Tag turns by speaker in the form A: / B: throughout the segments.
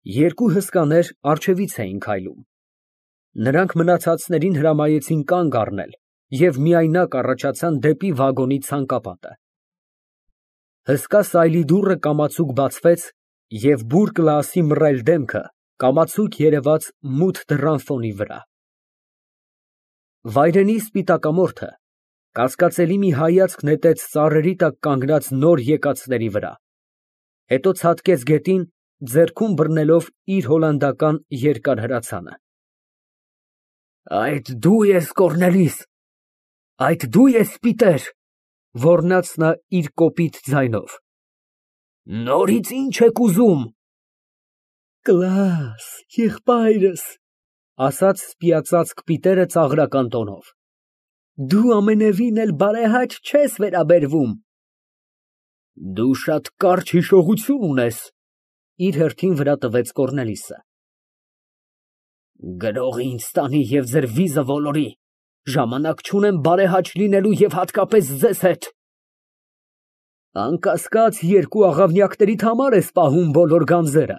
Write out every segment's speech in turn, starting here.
A: Երկու հսկաներ առջևից էին քայլում։ Նրանք մնացածներին հրամայեցին կանգ առնել և միայնակ առաջացան դեպի վագոնի ցանկապատը։ Հսկա սայլի դուռը կամացուկ բացվեց, և բուռ Կլաասի մռայլ դեմքը կամացուկ երևաց մութ դռան ֆոնի վրա։ Վայրենի սպիտակամորթը կասկածելի մի հայացք նետեց ծառերի տակ կանգնած նոր եկածների վրա, հետո ցատկեց գետին, ձեռքում բռնելով իր հոլանդական երկար հրացանը։ Այդ դու ես, Կոռնելիս, այդ դու ես, Պիտեր, ոռնաց նա իր կոպիտ ձայնով։ Նորից ի՞նչ եք ուզում։ Կլաս, եղբայրս, ասաց սպիածածկ Պիտերը ծաղրական տոնով, դու ամենևին էլ բարեհաճ չես վերաբերվում։ Դու շատ կարճ հիշողություն ունես, իր հերթին վրա տվեց Կոռնելիսը։ Գրողը ինձ տանի և ձեր վիզը ոլորի, ժամանակ չունեմ բարեհաճ լինելու և հատկապես ձեզ հետ։ Անկասկած, երկու աղավնյակներիդ համար ես պահում բոլոր գանձերը։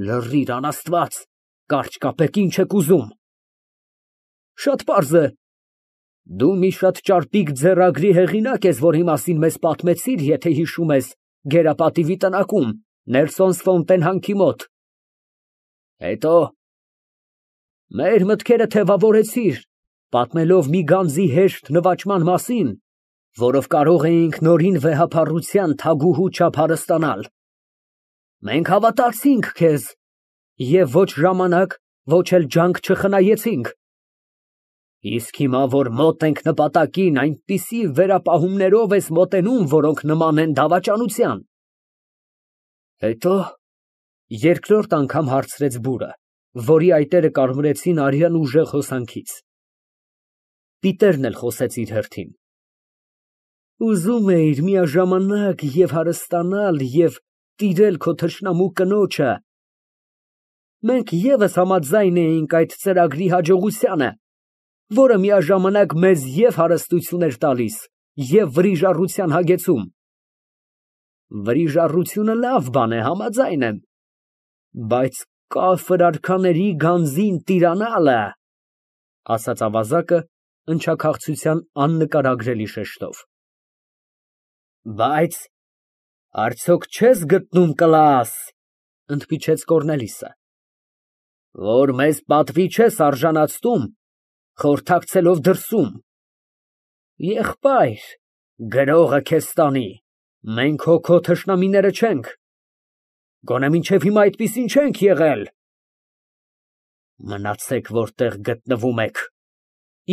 A: Լռիր, անաստված, կարճ կապեք, ինչ եք ուզում։ Շատ պարզ է, դու մի շատ ճարպիկ ձեռագրի հեղինակ ես, որի մասին մեզ պատմեցիր, եթե հիշում ես, Գերապատիվի տնակում, Նելսոնս֊ֆոնտեն հանքի մոտ։ Հետո մեր մտքերը թևավորեցիր, պատմելով մի գանձի հեշտ նվաճման մասին, որով կարող էինք նորին վեհափառության թագուհու չափ հարստանալ։ Մենք հավատացինք քեզ և ոչ ժամանակ, ոչ էլ ջանք չխնայեցինք։ Իսկ հիմա, որ մոտ ենք նպատակին, այնպիսի վերապահումներով ես մոտենում, որոնք նման են դավաճանության։ Հետո երկրորդ անգամ հարցրեց բուրը, որի այտերը կարմրեցին արյան ուժեղ հոսանքից։ Պիտերն էլ խոսեց իր հերթին։ Ուզում էիր միաժամանակ և հարստանալ, և տիրել քո թշնամու կնոջը։ Մենք ևս համաձայն էինք այդ ծրագրի հաջողությանը, որը միաժամանակ մեզ և հարստություն էր տալիս, և վրիժառության հագեցում։ Վրիժառությունը լավ բան է, համաձայն եմ, բայց կաֆր արքաների գանձին տիրանալը, ասաց ավազակը ընչաքաղցության աննկարագրելի շեշտով։ Բայց արդյոք չես գտնում, Կլաս, ընդմիջեց Կոռնելիսը, որ մեզ պատվի չես արժանացնում, խորհրդակցելով դրսում։ Եղբայր, գրողը քեզ տանի, մենք հո քո թշնամիները չենք, գոնե մինչև հիմա այդպիսին չենք եղել։ Մնացեք, որտեղ գտնվում եք,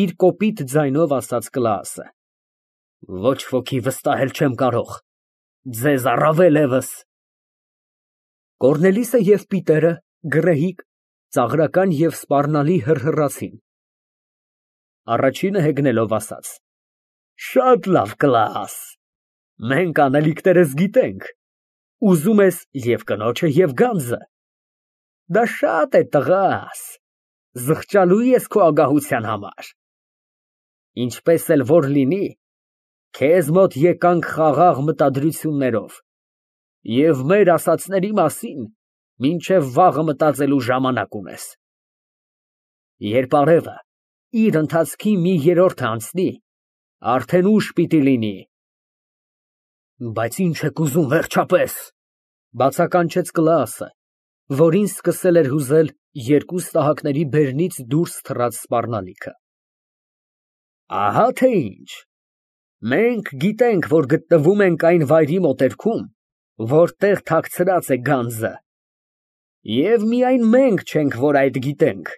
A: իր կոպիտ ձայնով ասաց Կլաասը։ Ոչ ոքի վստահել չեմ կարող, ձեզ առավել ևս։ Կոռնելիսը և Պիտերը, գռեհիկ, ծաղրական և սպառնալի հռհռացին։ Առաջինը հեգնելով ասաց. Շատ լավ, Կլաս, մենք անելիքներս գիտենք, ուզում ես և կնոջը, և գանձը։ Դա շատ է, տղաս, զղջալու ես քո ագահության համար։ Ինչպես էլ որ լինի, քեզ մոտ եկանք խաղաղ մտադրություններով, և մեր ասածների մասին մինչև վաղը մտածելու ժամանակ ունես։ Երբ արևը իր ընթացքի մի երրորդը անցնի, արդեն ուշ պիտի լինի։ Բայց ինչ եք ուզում վերջապես, բացականչեց Կլաասը, որին սկսել էր հուզել երկու ստահակների բերնից դուրս թռած սպառնալիքը։ Ահա թե ինչ, մենք գիտենք, որ գտնվում ենք այն վայրի մոտերքում, որտեղ թաքցրած է գանձը, և միայն մենք չենք, որ այդ գիտենք։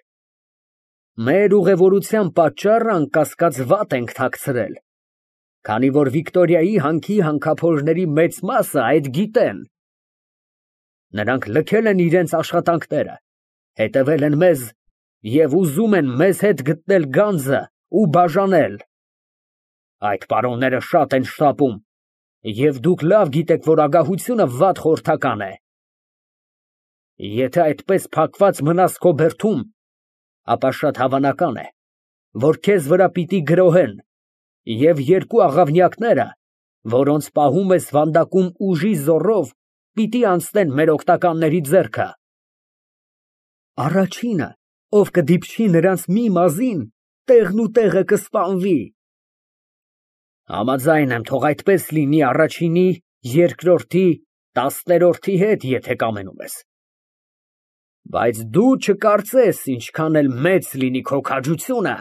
A: Մեր ուղևորության պատճառը անկասկած վատ ենք թաքցրել, քանի որ Վիկտորիայի հանքի հանքափորների մեծ մասը այդ գիտեն։ Նրանք լքել են իրենց աշխատանքները, հետևել են մեզ և ուզում են մեզ հետ գտնել գանձը ու բաժանել։ Այդ պարոնները շատ են շտապում, և դուք լավ գիտեք, որ ագահությունը վատ խորհրդական է։ Եթե այդպես փակված մնաս քո բերդում, ապա շատ հավանական է, որ քեզ վրա պիտի գրոհեն, և երկու աղավնյակները, որոնց պահում ես վանդակում ուժի զոռով, պիտի անցնեն մեր օգնականների ձեռքը։ Առաջինը, ով կդիպչի նրանց մի մազին, տեղն ու տեղը կսպանվի։ Համաձայն եմ, թող այդպես լինի առաջինի, երկրորդի, 10-րդի հետ, եթե կամենում ես։ Բայց դու չկարծես ինչքան էլ մեծ լինի քո քաջությունը,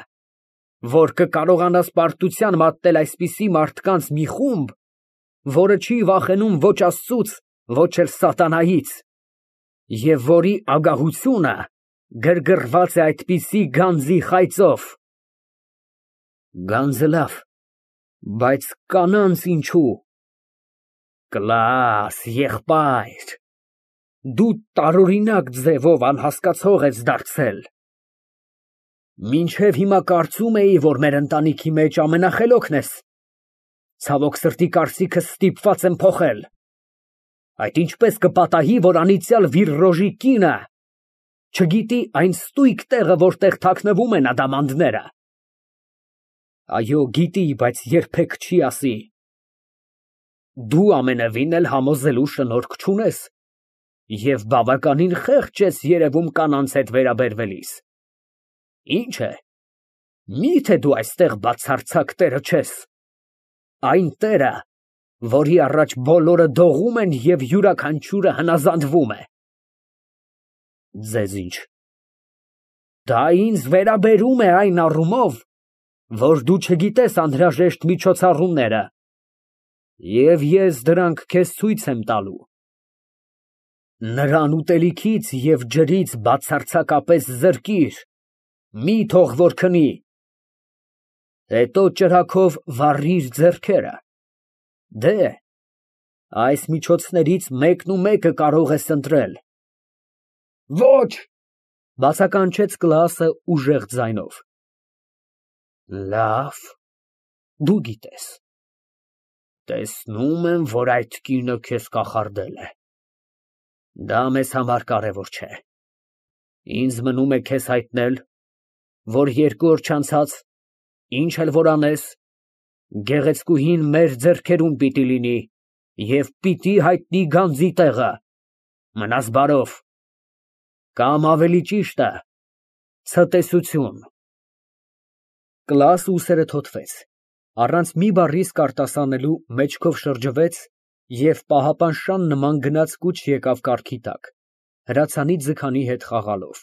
A: որ կկարողանաս պարտության մատնել այսպիսի մարդկանց մի խումբ, որը չի վախենում ոչ Աստծուց, ոչ էլ սատանայից, և որի ագահությունը գրգռված է այդպիսի գանձի խայծով։ Գանձը լավ, բայց կանանց ինչու։ Կլաս, եղբայր, դու տարօրինակ ձևով անհասկացող ես դարձել։ Մինչև հիմա կարծում էի, որ մեր ընտանիքի մեջ ամենախելոքն ես։ Ցավոք սրտի կարծիքս ստիպված եմ փոխել։ Այդ ինչպես կպատահի, որ անիծյալ Վիրռոժի կինը չգիտի այն ստույգ տեղը, որտեղ թաքնվում են ադամանդները։ Այո, գիտի, բայց երբեք չի ասի։ Դու ամենևին էլ համոզելու շնորք չունես և բավականին խեղճ ես երևում կանանց հետ վերաբերվելիս։ Ինչ է, միթե դու այստեղ բացարձակ տերը չես, այն տերը, որի առաջ բոլորը դողում են և յուրաքանչյուրը հնազանդվում է։ Ձեզ ինչ։ Դա ինձ վերաբերում է այն առումով, որ դու չգիտես անհրաժեշտ միջոցառումները, և ես դրանք քեզ ցույց եմ տալու։ Նրան ուտելիքից և ջրից բացարձակապես զրկիր, մի թող որ քնի, հետո ճրագով վառիր ձեռքերը։ Դե, այս միջոցներից մեկնումեկը կարող ես ընտրել։ Ոչ, բացականչեց Կլաասը ուժեղ ձայնով։ Լավ, դու գիտես։ Տեսնում եմ, որ այդ կինը քեզ կախարդել է։ Դա մեզ համար կարևոր չէ։ Ինձ մնում է քեզ հայտնել, որ 2 օր չանցած, ինչ էլ որ անես, գեղեցկուհին մեր ձեռքերում պիտի լինի և պիտի հայտնի գանձի տեղը։ Մնաս բարով, կամ ավելի ճիշտը, ցտեսություն։ Կլաասը ուսերը թոթվեց, առանց մի բառի իսկ արտասանելու մեջքով շրջվեց և պահապանշան նման գնաց կուչ եկավ կառքի տակ, հրացանի ձգանի հետ խաղալով։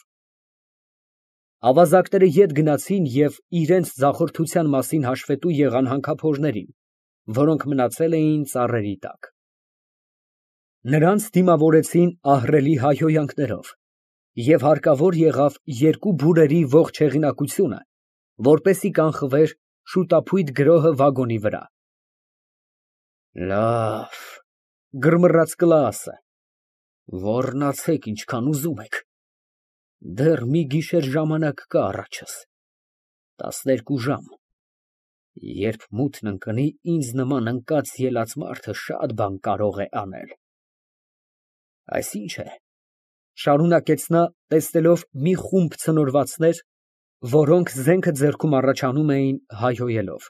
A: Ավազակները ետ գնացին և իրենց ձախորդության մասին հաշվետու եղան հանքափորներին, որոնք մնացել էին ծառերի տակ։ Նրանց դիմավորեցին ահռելի հայհոյանքներով, և հարկավոր եղավ 2 բուրերի ողջ հեղինակությունը, որպեսզի կանխվեր շուտափույթ գրոհը վագոնի վրա։ Լավ, գրմռաց Կլաասը, ոռնացեք ինչքան ուզում եք, դեռ մի գիշեր ժամանակ կա առաջս, 12 ժամ, երբ մութն ընկնի, ինձ նման ընկած ելած մարդը շատ բան կարող է անել։ Այսինչ է, շարունակեց նա, տեսնելով մի խումբ ցնորվածներ, որոնք զենքը ձեռքում առաջանում էին հայհոյելով.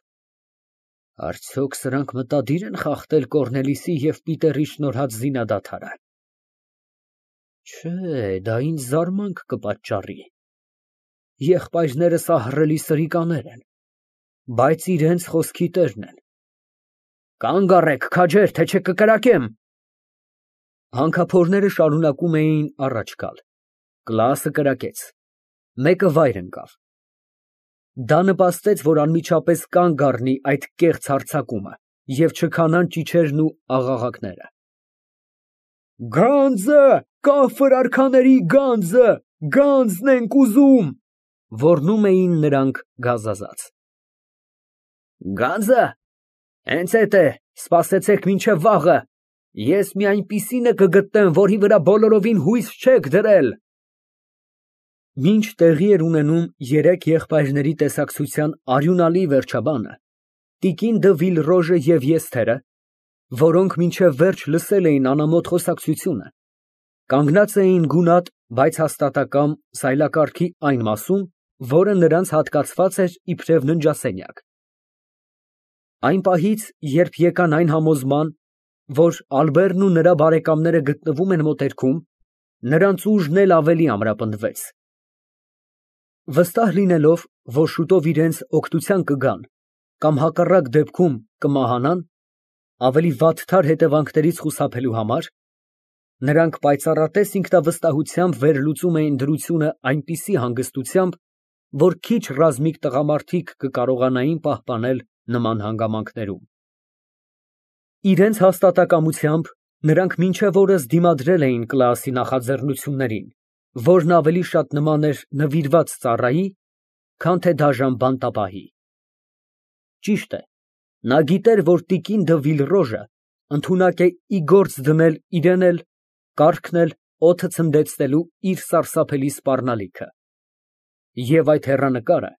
A: Արդյոք սրանք մտադիր են խախտել Կոռնելիուսի և Պիտերի շնորհած զինադադարը։ Չէ, դա ինձ զարմանք կպատճառի։ Եղբայրներս ահռելի սրիկաներ են, բայց իրենց խոսքի տերն են։ Կանգ առեք, քաջեր, թե չէ կկրակեմ։ Հանքափորները շարունակում էին առաջ գալ։ Կլաասը կրակեց։ Մեկը վայր ընկավ։ Դա նպաստեց, որ անմիջապես կանգ առնի այդ կեղծ հարձակումը և չքանան ճիչերն ու աղաղակները։ Գանձը, կաֆր արքաների գանձը, գանձն ենք ուզում, ոռնում էին նրանք գազազած։ Գանձը, հենց էդ է, սպասեցեք մինչև վաղը, ես մի այնպիսինը կգտնեմ, որի վրա բոլորովին հույս չեք դրել։ Մինչ տեղի էր ունենում 3 եղբայրների տեսակցության արյունալի վերջաբանը, տիկին դը Վիլռոժը և եզթերը, որոնք մինչև վերջ լսել էին անամոթ խոսակցությունը, կանգնած էին գունատ, բայց հաստատակամ սայլակառքի այն մասում, որը նրանց հատկացված էր իբրև ննջասենյակ։ Այն պահից, երբ եկան այն համոզման, որ Ալբերտն ու նրա բարեկամները գտնվում են մոտերքում, նրանց ուժն էլ ավելի ամրապնդվեց։ Վստահ լինելով, որ շուտով իրենց օգնության կգան կամ հակառակ դեպքում կմահանան, ավելի վատթար հետևանքներից խուսափելու համար, նրանք պայծառատես ինքնավստահությամբ վերլուծում էին դրությունը այնպիսի հանգստությամբ, որ քիչ ռազմիկ տղամարդիկ կկարողանային պահպանել նման հանգամանքներում։ Իրենց հաստատակամությամբ նրանք մինչև օրս դիմադրել էին Կլաասի նախաձեռնություններին, որն ավելի շատ նման էր նվիրված ծառայի, քան թե դաժան բանտապահի։ Ճիշտ է, նա գիտեր, որ տիկին դը Վիլրոժը ընդունակ է ի գործ դնել իրեն էլ, կառքն էլ օդը ցնդեցնելու իր սարսափելի սպառնալիքը։ Եվ այդ հեռանկարը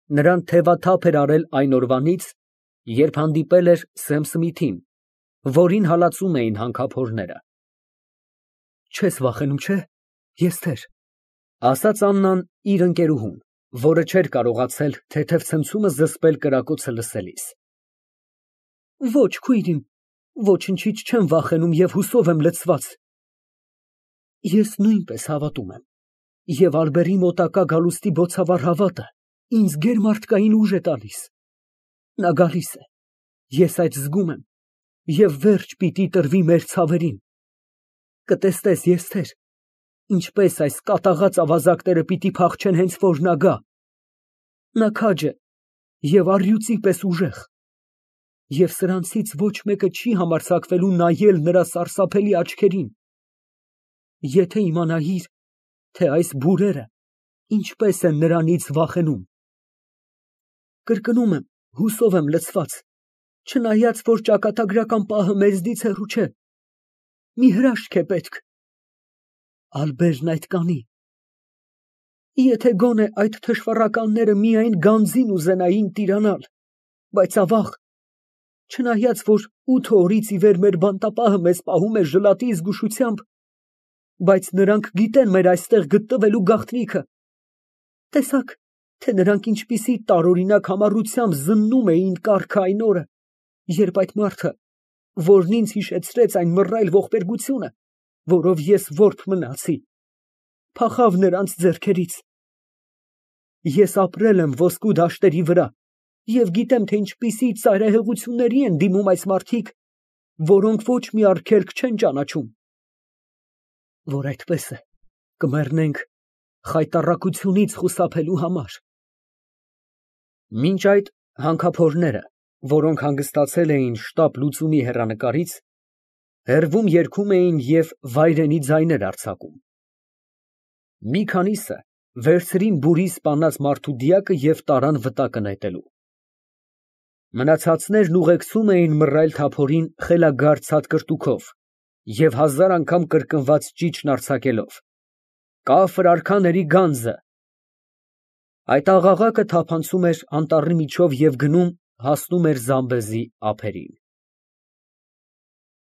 A: նրան թևաթափ էր արել այն օրվանից, երբ հանդիպել էր Սեմ Սմիթին, որին հալածում էին հանքափորները։ Չես վախենում, չէ՞, Եստեր, ասաց Աննան իր ընկերուհուն, որը չէր կարողացել թեթև ցնցումը զսպել կրակոցը լսելիս։ Ոչ, քույրիմ, ոչնչից չեմ վախենում և հուսով եմ լցված։ Ես նույնպես հավատում եմ, և Ալբերի մոտակա գալուստի բոցավառ հավատը ինձ գերմարդկային ուժ է տալիս։ Նա գալիս է, ես այդ զգում եմ, և վերջ պիտի տրվի մեր ցավերին։ Կտեսնես, Եստեր, ինչպես այս կատաղած ավազակները պիտի փախչեն հենց որ նա գա։ Նա քաջ է և առյուծի պես ուժեղ, և սրանցից ոչ մեկը չի համարձակվելու նայել նրա սարսափելի աչքերին։ Եթե իմանայիր, թե այս բուրերը ինչպես են նրանից վախենում։ Կրկնում եմ, հուսով եմ լցված, չնայած որ ճակատագրական պահը մեզնից հեռու չէ։ Մի հրաշք է պետք։ Ալբերն այդ կանի։ Եթե գոնե այդ թշվառականները միայն գանձին ուզենային տիրանալ, բայց ավաղ, չնայած որ 8 օրից ի վեր մեր բանտապահը մեզ պահում է ժլատի զգուշությամբ, բայց նրանք գիտեն մեր այստեղ գտնվելու գաղտնիքը։ Տեսաք, թե նրանք ինչպիսի տարօրինակ համառությամբ զննում էին կառքը այն օրը, երբ այդ մարդը, որն ինձ հիշեցրեց այն մռայլ ողբերգությունը, որով ես որբ մնացի, փախավ նրանց ձեռքերից։ Ես ապրել եմ ոսկու դաշտերի վրա և գիտեմ, թե ինչպիսի ծայրահեղությունների են դիմում այս մարդիկ, որոնք ոչ մի արգելք չեն ճանաչում։ Որ այդպես է, կմեռնենք խայտառակությունից խուսափելու համար։ Մինչ այդ հանքափորները, որոնք հանգստացել էին շտապ լուծումի հեռանկարից, հեռվում երգում էին և վայրենի ձայներ արձակում։ Մի քանիսը վերցրին բուրի սպանած մարդու դիակը և տարան վտակը նետելու։ Մնացածներն ուղեկցում էին մռայլ թափորին խելագար ցատկրտուքով և 1000 անգամ կրկնված ճիչն արձակելով. «Կաֆր արքաների գանձը»։ Այդ աղաղակը թափանցում էր անտառի միջով և գնում, հասնում էր Զամբեզի ափերին։